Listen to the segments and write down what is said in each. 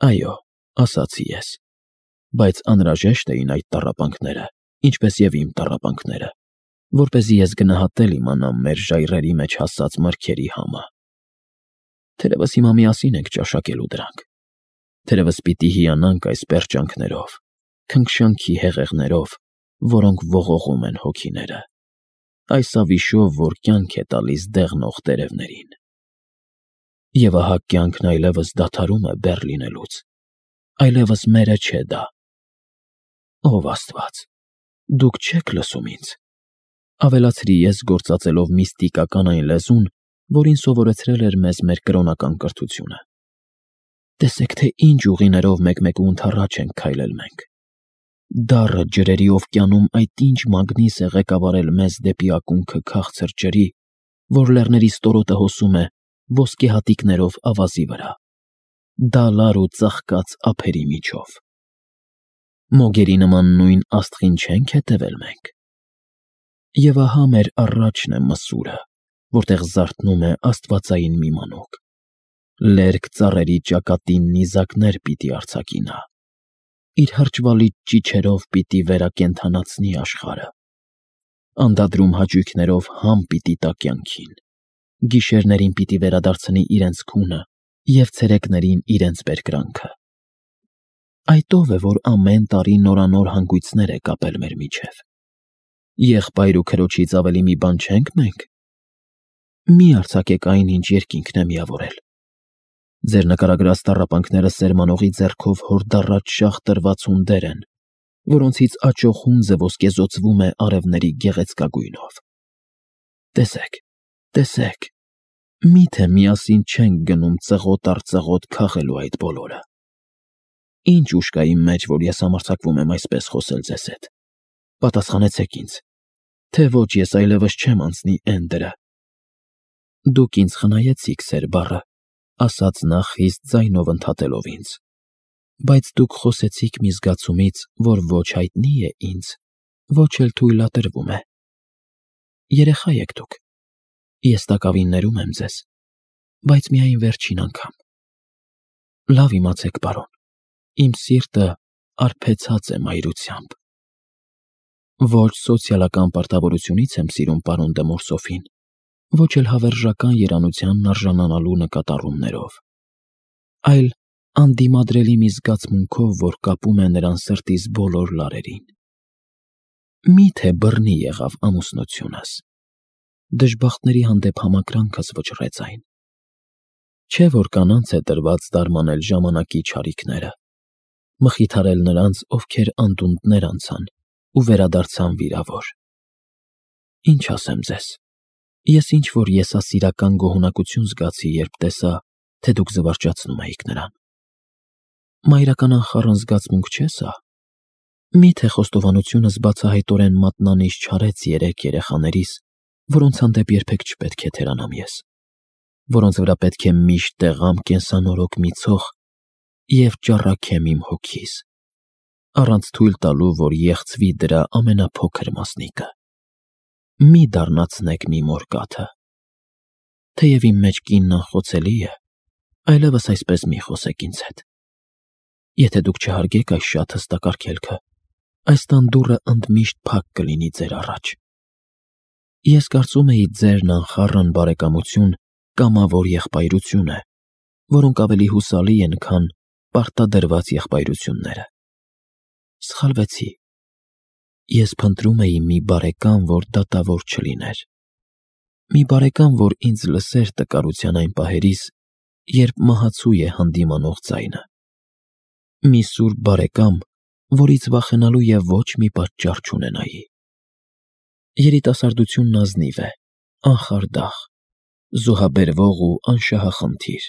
Այո, ասացի ես, բայց անհրաժեշտ էին այդ տառապանքները, ինչպես և իմ տառապանքները, որպեսզի ես գնահատել իմանամ մեր ժայռերի մեջ հասած մրգերի համը։ Թերևս հիմա միասին ենք ճաշակելու դրանք, թերևս պիտի հիանանք այս պերճանքներով, քնքշանքի հեղեղներով, որոնք ողողում են հոգիները, այս ավիշով, որ կյանք է տալիս դեղնող տերևներին։ Եվ ահա կյանքն այլևս դադարում է բեռ լինելուց, այլևս մերը չէ դա։ Ով Աստված, դուք չեք լսում ինձ, ավելացրի ես գործածելով միստիկական այն լեզուն, որին սովորեցրել էր մեզ մեր կրոնական կրթությունը։ Տեսեք, թե ինչ ուղիներով մեկ-մեկունդ առաջ ենք քայլել մենք։ Դառը ջրերի օվկիանում այդ ինչ մագնիս է ղեկավարել մեզ դեպի ակունքը քաղցր ջրի, որ լեռների ստորոտը հոսում է ոսկե հատիկներով ավազի վրա, դալար ու ծաղկած ափերի միջով։ Մոգերի նման նույն աստղին չենք հետևել մենք։ Եվ ահա մեր առաջն է մսուրը, որտեղ զարթնում է աստվածային մի մանուկ։ Լերկ ծառերի ճակատին նիզակներ պիտի արձակի նա, իր հրճվալից ճիչերով պիտի վերակենդանացնի աշխարհը, անդադրում հաճույքներով համ պիտի տա կյանքին, գիշերներին պիտի վերադարձնի իրենց քունը և ցերեկներին իրենց բերկրանքը։ Այդ ով է, որ ամեն տարի նորանոր հանգույցներ է կապել մեր միջև։ Եղբայր ու քրոջից ավելի մի բան չենք մենք։ Մի արձակեք այն, ինչ երկինքն է միավորել։ Ձեր նկարագրած տառապանքները սերմանողի ձեռքով հորդառաջ շաղ տրված հունդեր են, որոնցից աճող հունձը ոսկեզօծվում է արևների գեղեցկագույնով։ Տեսեք, տեսեք, միթե միասին չենք գնում ծղոտ առ ծղոտ քաղելու այդ բոլորը։ Ինչ ուժ կա իմ մեջ, որ ես համարձակվում եմ այսպես խոսել ձեզ հետ։ Պատասխանեցեք ինձ, թե ոչ ես այլևս չեմ անցնի Էնդերը։ Դուք ինձ խնայեցիք, սեր բառը, ասաց նա խիստ ձայնով ընդհատելով ինձ, բայց դուք խոսեցիք մի զգացումից, որ ոչ հայտնի է ինձ, ոչ էլ թույլատրվում է։ Երեխա եք դուք, ես տակավին ներում եմ ձեզ, բայց միայն վերջին անգամ։ Լավ իմացեք, պարոն, իմ սիրտը արբեցած է մայրությամբ։ Ոչ սոցիալական պարտավորությունից եմ սիրում պարոն դե Մորսոֆին, ոչ էլ հավերժական երանությանն արժանանալու նկատառումներով, այլ անդիմադրելի մի զգացմունքով, որ կապում է նրան սրտիս բոլոր լարերին։ Միթե բռնի եղավ ամուսնությունս, դժբախտների հանդեպ համակրանքս վճռեց այն։ Չէ՞ որ կանանց է տրված դարմանել ժամանակի չարիքները, մխիթարել նրանց, ովքեր անդունդներ անցան ու վերադարձան վիրավոր։ Ինչ ասեմ ձեզ, ես ինչ-որ եսասիրական գոհունակություն զգացի, երբ տեսա, թե դուք զվարճացնում էիք նրան։ Մայրական անխառն զգացմունք չէ՞ սա։ Միթե խոստովանությունս բացահայտորեն մատնանիշ չարեց երեք երեխաներիս, որոնց հանդեպ երբեք չպետք է թերանամ ես, որոնց վրա պետք է միշտ տեղամ կենսանորոգ մի ցող և ճառագեմ իմ հոգիս, առանց թույլ տալու, որ եղցվի դրա ամենափոքր մասնիկը։ Մի դառնացնեք մի մոր կաթը։ Թեև իմ մեջ կինն անխոցելի է, այլևս այսպես մի խոսեք ինձ հետ։ Եթե դուք չհարգեք այս շատ հստակ արգելքը, այս տան դուռը ընդմիշտ փակ կլինի ձեր առաջ։ Ես կարծում էի ձերն անխառն բարեկամություն, կամավոր եղբայրություն է, որոնք ավելի հուսալի են, քան պարտադրված եղբայրությունները։ Սխալվեցի։ Ես փնտրում էի մի բարեկամ, որ դատավոր չլիներ։ Մի բարեկամ, որ ինձ լսեր տկարության այն պահերիս, երբ մահացու է հանդիմանող ձայնը։ Մի սուրբ բարեկամ, որից վախենալու և ոչ մի պատճառ չունենայի։ Երիտասարդությունն ազնիվ է, անխարդախ, զոհաբերվող ու անշահախնդիր։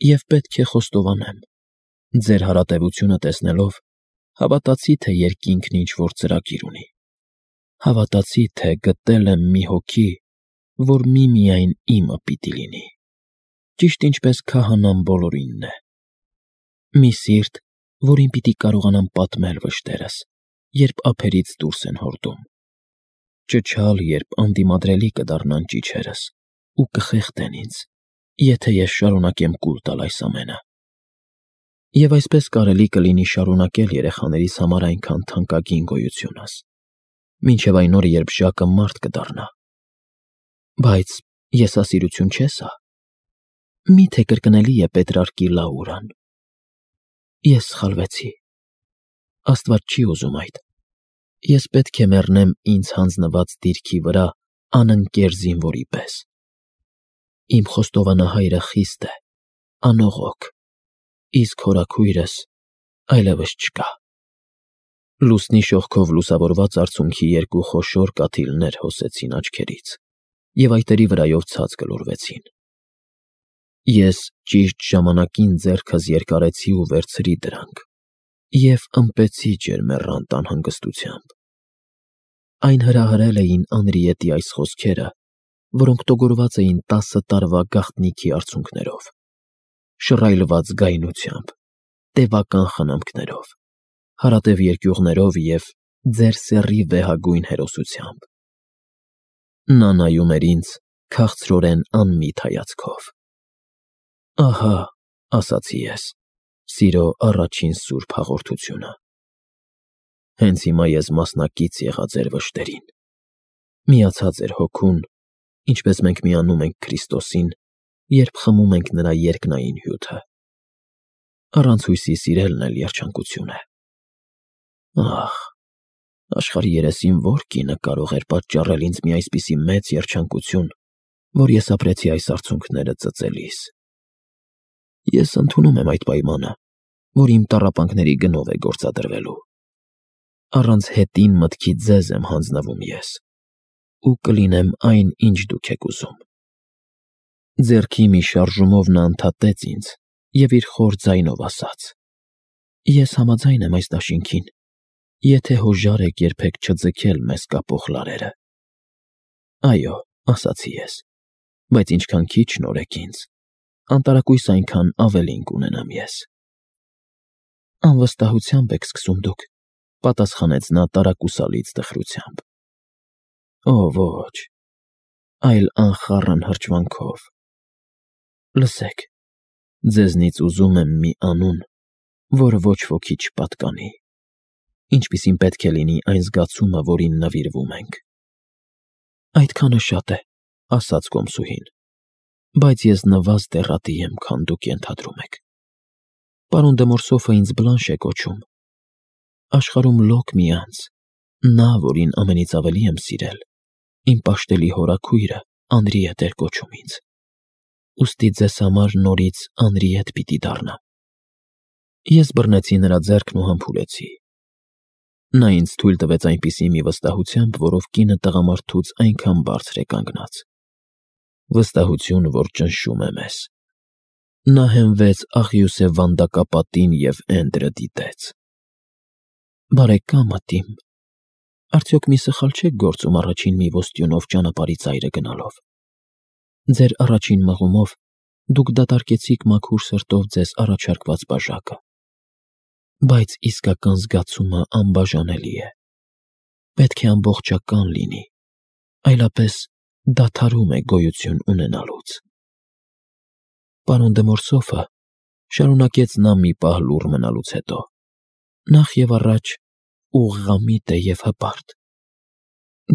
Եվ պետք է խոստովանեմ, ձեր հարատևությունը տեսնելով, հավատացի, թե երկինքն ինչ-որ ծրագիր ունի։ Հավատացի, թե գտել եմ մի հոգի, որ միմիայն իմը պիտի լինի, ճիշտ ինչպես քահանան բոլորինն է։ Մի սիրտ, որին պիտի կարողանամ պատմել վշտերս, երբ ափերից դուրս են հորդում։ Ճչալ, երբ անդիմադրելի կդառնան ճիչերս ու կխեղդեն ինձ, եթե ես շարունակեմ կուլ տալ այս ամենը։ Եվ այսպես կարելի կլինի շարունակել երեխաներիս համար այնքան թանկագին գոյությունս, մինչև այն օրը, երբ Ժակը մարդ կդառնա։ Բայց եսասիրություն չէ սա։ Մի՞թե կրկնելի է Պետրարկի Լաուրան։ Ես սխալվեցի։ Աստված չի ուզում այդ։ Ես պետք է մեռնեմ ինձ հանձնված դիրքի վրա անընկեր զինվորի պես։ Իմ խոստովանահայրը խիստ է, անողոք, իսկ հորաքույրս այլևս չկա։ Լուսնի շողքով լուսավորված արցունքի երկու խոշոր կաթիլներ հոսեցին աչքերից և այտերի վրայով ցած գլորվեցին։ Ես ճիշտ ժամանակին ձեռքս երկարեցի ու վերցրի դրանք և ըմպեցի ջերմեռանդ անհանգստությամբ։ Այն հրահրել էին Անրիետի այս խոսքերը, որոնք տոգորված էին 10 տարվա գաղտնիքի արցունքներով, շռայլված գայնությամբ, տևական խնամքներով, հարատև երկյուղներով և ձեր սեռի վեհագույն հերոսությամբ։ Նա նայում էր ինձ քաղցրորեն անմիտ հայացքով։ Ահա, ասացի ես, սիրո առաջին սուրբ հաղորդությունը։ Հենց հիմա ես մասնակից եղա ձեր վշտերին, միացա ձեր հոգուն, ինչպես մենք միանում ենք Քրիստոսին, երբ խմում ենք նրա երկնային հյութը։ Առանց հույսի սիրելն էլ երջանկություն է։ Ահ, աշխարհի երեսին ո՞ր կինը կարող էր պատճառել ինձ մի այսպիսի մեծ երջանկություն, որ ես ապրեցի այս արցունքները ծծելիս։ Ես ընդունում եմ այդ պայմանը, որ իմ տառապանքների գնով է գործադրվելու։ Առանց հետին մտքի ձեզ եմ հանձնվում ես, ու կլինեմ այն, ինչ դուք եք ուզում։ Ձեռքի մի շարժումով նա ընդհատեց ինձ և իր խոր ձայնով ասաց. Ես համաձայն եմ այս դաշինքին, եթե հոժար եք երբեք չձգել մեզ կապող լարերը։ Այո, ասացի ես, բայց ինչքան քիչ նորեք ինձ, անտարակույս այնքան ավելին կունենամ ես։ Անվստահությամբ եք սկսում դուք, պատասխանեց նա տարակուսալից տխրությամբ։ Օ, ոչ, այլ անխառն հրճվանքով։ Լսեք, ձեզնից ուզում եմ մի անուն, որ ոչ ոքի չպատկանի, ինչպիսին պետք է լինի այն զգացումը, որին նվիրվում ենք։ Այդքանը շատ է, ասաց կոմսուհին, բայց ես նվազ դեռատի եմ, քան դուք ենթադրում եք։ Պարոն դե Մորսոֆը ինձ Բլանշ է կոչում։ Աշխարհում լոկ մի անձ, նա, որին ամենից ավելի եմ սիրել, իմ պաշտելի հորաքույրը Անրիետ էր կոչում ինձ։ Ուստի ձեզ համար նորից Անրիետ պիտի դառնամ։ Ես բռնեցի նրա ձեռքն ու համբուրեցի։ Նա ինձ թույլ տվեց այնպիսի մի վստահությամբ, որով կինը տղամարդուց այնքան բարձր է կանգնած։ Վստահություն, որ ճնշում է մեզ։ Նա հենվեց աղյուսե վանդակապատին և Էնդրը դիտեց։ Բարեկամդ իմ, արդյոք մի սխալ չեք գործում առաջին մի ոստյունով ճանապարհի ծայրը գնալով։ Ձեր առաջին մղումով դուք դատարկեցիք մաքուր սրտով ձեզ առաջարկված բաժակը։ Բայց իսկական զգացումը անբաժանելի է։ Պետք է ամբողջական լինի, այլապես դադարում է գոյություն ունենալուց։ Պարոն դե Մորսոֆը, շարունակեց նա մի պահ լուռ մնալուց հետո, նախ և առաջ ուղղամիտ է և հպարտ։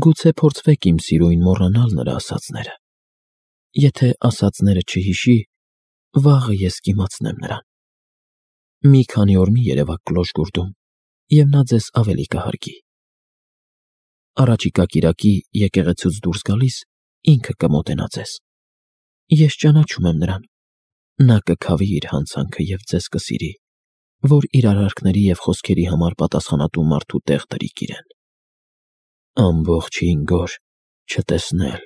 Գուցե փորձվեք իմ սիրույն մոռանալ նրա ասածները։ Եթե ասածները չհիշի, վաղը ես կիմացնեմ նրան։ Մի քանի օր մի երևաք Կլոշգուրդում, և նա ձեզ ավելի կհարգի։ Առաջիկա կիրակի եկեղեցուց դուրս գալիս ինքը կմոտենա ձեզ։ Ես ճանաչում եմ նրան։ Նա կքավի իր հանցանքը և ձեզ կսիրի, որ իր արարքների և խոսքերի համար պատասխանատու մարդու տեղ տրիք իրեն։ Ամբողջ 5 օր չտեսնել,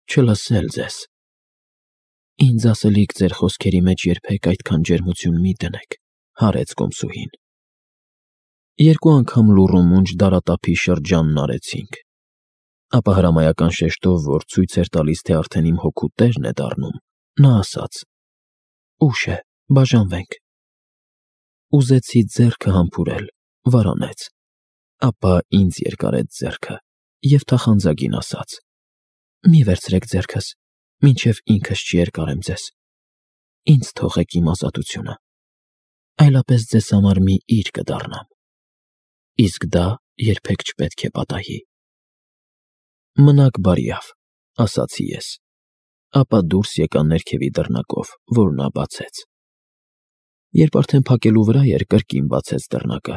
չլսել ձեզ։ Ինձ ասելիք ձեր խոսքերի մեջ երբեք այդքան ջերմություն մի դնեք, հարեց կոմսուհին։ 2 անգամ լուռումունջ դարատափի շրջանն արեցինք։ Ապա հրամայական շեշտով, որ ցույց էր տալիս, թե արդեն իմ հոգու տերն է դառնում, նա ասաց. Ուշ է, բաժանվենք։ Ուզեցի ձեռքը համբուրել, վարանեց, ապա ինձ երկարեց ձեռքը և թախանձագին ասաց. Մի վերցրեք ձեռքս, մինչև ինքս չերկարեմ ձեզ։ Ինձ թողեք իմ ազատությունը։ այլապես ձեզ համար մի իր կդառնամ, իսկ դա երբեք չպետք է պատահի։ Մնաք բարյավ, ասացի ես, ապա դուրս եկա ներքևի դռնակով, որ նա բացեց։ Երբ արդեն փակելու վրա էր, կրկին բացեց դռնակը,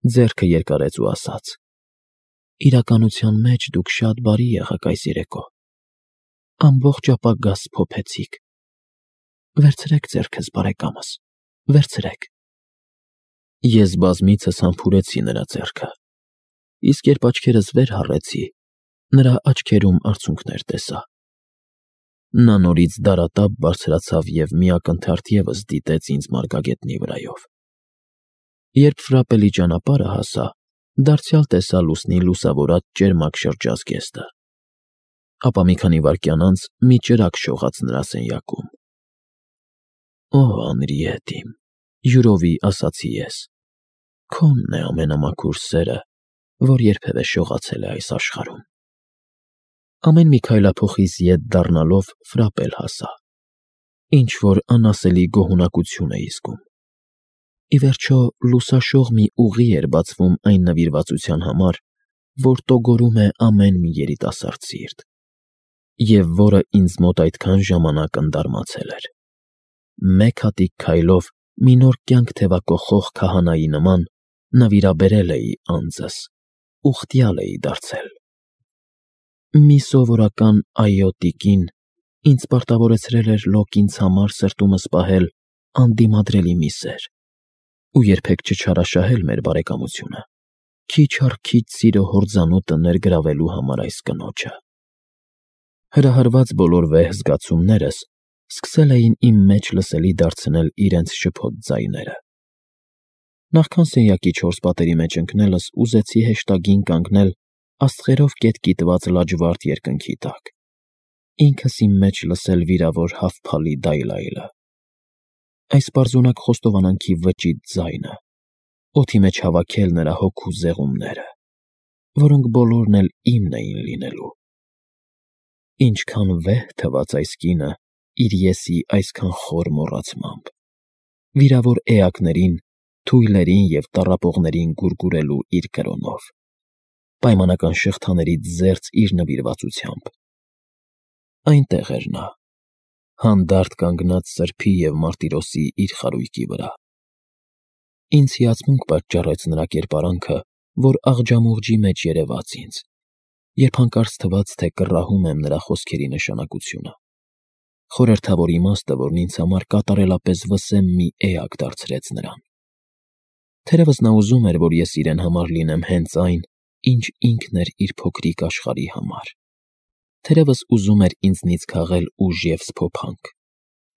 ձեռքը երկարեց ու ասաց. «Իրականության մեջ դուք շատ բարի եղաք այս երեկո, ամբողջ ապագաս փոփեցիք։ Վերցրեք ձեռքս, բարեկամս, վերցրեք»։ Ես բազմիցս համբուրեցի նրա ձեռքը, իսկ երբ աչքերս վեր հառեցի, նրա աչքերում արցունքներ տեսա։ Նա նորից դարատափ բարձրացավ և մի ակնթարթ ևս դիտեց ինձ մարգագետնի վրայով։ Երբ ֆրապելի ճանապարհը հասա, դարձյալ տեսա լուսնի լուսավորած ճերմակ շրջազգեստը։ Ապա մի քանի վայրկյան անց մի ճրագ շողաց նրա սենյակում։ «Օ, Անրիետ իմ», յուրովի ասացի ես, «քոնն է ամենամաքուր սերը, որ երբևէ շողացել է այս աշխարհում»։ Ամեն մի քայլափոխիս ետ դառնալով Ֆրապել հասա։ Ինչ-որ անասելի գոհունակություն էի զգում։ Ի վերջո, լուսաշող մի ուղի էր բացվում այն նվիրվածության համար, որ տոգորում է ամեն մի երիտասարդ սիրտ, և որը ինձ մոտ այդքան ժամանակ ընդարմացել էր։ Մեկ հատիկ քայլով մի նոր կյանք թևակոխող քահանայի նման նվիրաբերել էի անձս, ուխտյալ էի դարձել։ Մի սովորական «այո» տիկին ինձ պարտավորեցրել էր լոկ ինձ համար սրտումս պահել անդիմադրելի մի սեր ու երբեք չչարաշահել մեր բարեկամությունը, քիչ առ քիչ սիրո հորձանուտը ներգրավելու համար այս կնոջը։ Հրահրված բոլոր վեհ զգացումներս սկսել էին իմ մեջ լսելի դարձնել իրենց շփոթ ձայները։ Նախքան սենյակի չորս պատերի մեջ ընկնելս ուզեցի հեշտագին կանգնել աստղերով կետկիտված լաջվարդ երկնքի տակ, ինքս իմ մեջ լսել վիրավոր հավփալի դայլայլը, այս պարզունակ խոստովանանքի վճիտ ձայնը, օդի մեջ հավաքել նրա հոգու զեղումները, որոնք բոլորն էլ իմն էին լինելու։ Ինչքան վեհ թվաց այս կինը իր եսի այսքան խոր մոռացմամբ, վիրավոր էակներին, թույլերին և տառապողներին գուրգուրելու իր կրոնով, պայմանական շղթաներից զերծ իր նվիրվածությամբ։ Այնտեղ էր նա, հանդարտ կանգնած սրբի և մարտիրոսի իր խարույկի վրա։ Ինձ հիացմունք պատճառեց նրա կերպարանքը, որ աղջամուղջի մեջ երևաց ինձ, երբ հանկարծ թվաց, թե կռահում եմ նրա խոսքերի նշանակությունը, խորհրդավոր իմաստը, որն ինձ համար կատարելապես վսեմ մի էակ դարձրեց նրան։ Թերևս նա ուզում էր, որ ես իրեն համար լինեմ հենց այն, ինչ ինքն էր իր փոքրիկ աշխարհի համար։ Թերևս ուզում էր ինձնից քաղել ուժ և սփոփանք,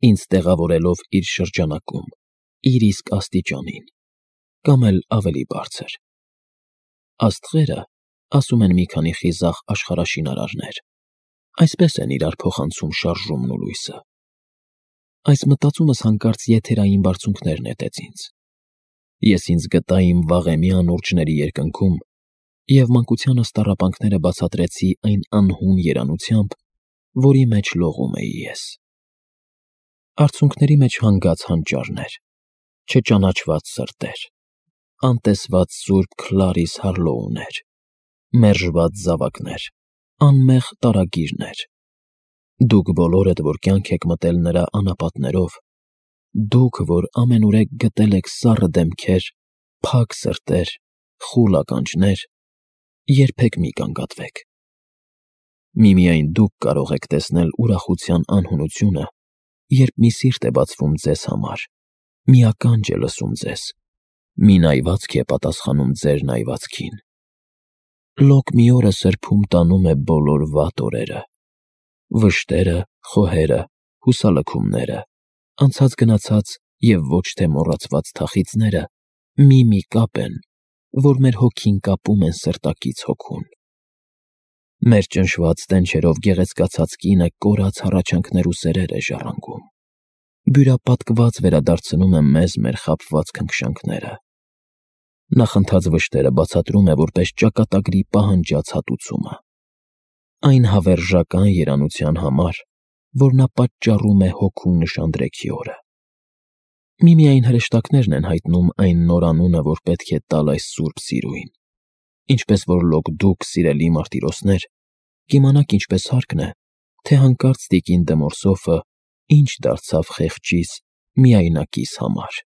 ինձ տեղավորելով իր շրջանակում, իր իսկ աստիճանին, կամ էլ ավելի բարձր։ Աստղերը, ասում են մի քանի խիզախ աշխարհաշինարարներ, այսպես են իրար փոխանցում շարժումն ու լույսը։ Այս մտածումս հանկարծ եթերային բարձունքներ նետեց ինձ։ Ես ինձ գտա իմ վաղեմի անուրջների երկնքում և մանկությանս տառապանքները բացատրեցի այն անհուն երանությամբ, որի մեջ լողում էի ես։ Արցունքների մեջ հանգած հանճարներ, չճանաչված սրտեր, անտեսված սուրբ Քլարիս Հարլոուներ, մերժված զավակներ, անմեղ տարագիրներ։ Դուք բոլորդ, որ կյանք եք մտել նրա անապատներով, դուք, որ ամենուրեք գտել եք սառը դեմքեր, փակ սրտեր, խուլ ականջներ, երբեք մի կանգատվեք։ Միմիայն դուք կարող եք տեսնել ուրախության անհունությունը, երբ մի սիրտ է բացվում ձեզ համար, մի ականջ է լսում ձեզ, մի նայվածք է պատասխանում ձեր նայվածքին։ Լոկ մի օրը սրբում տանում է բոլոր վատ օրերը, վշտերը, խոհերը, հուսալքումները, անցած-գնացած և ոչ թե մոռացված թախիծները մի կապ են, որ մեր հոգին կապում են սրտակից հոգուն։ Մեր ճնշված տենչերով գեղեցկացած կինը կորած հառաչանքներ ու սերեր է ժառանգում, բյուրապատկված վերադարձնում է մեզ մեր խաբված քնքշանքները։ Նախընթաց վշտերը բացատրում է որպես ճակատագրի պահանջած հատուցումը, այն հավերժական երանության համար, որ նա պատճառում է հոգու նշանդրեքի օրը։ Միմիայն հրեշտակներն են հայտնում այն նոր անունը, որ պետք է տալ այս սուրբ սիրուին։ Ինչպես որ լոկ դուք, սիրելի մարտիրոսներ, կիմանաք ինչպես հարկն է, թե հանկարծ տիկին Դե Մորսոֆը ինչ դարձավ խեղճիս միայնակիս համար։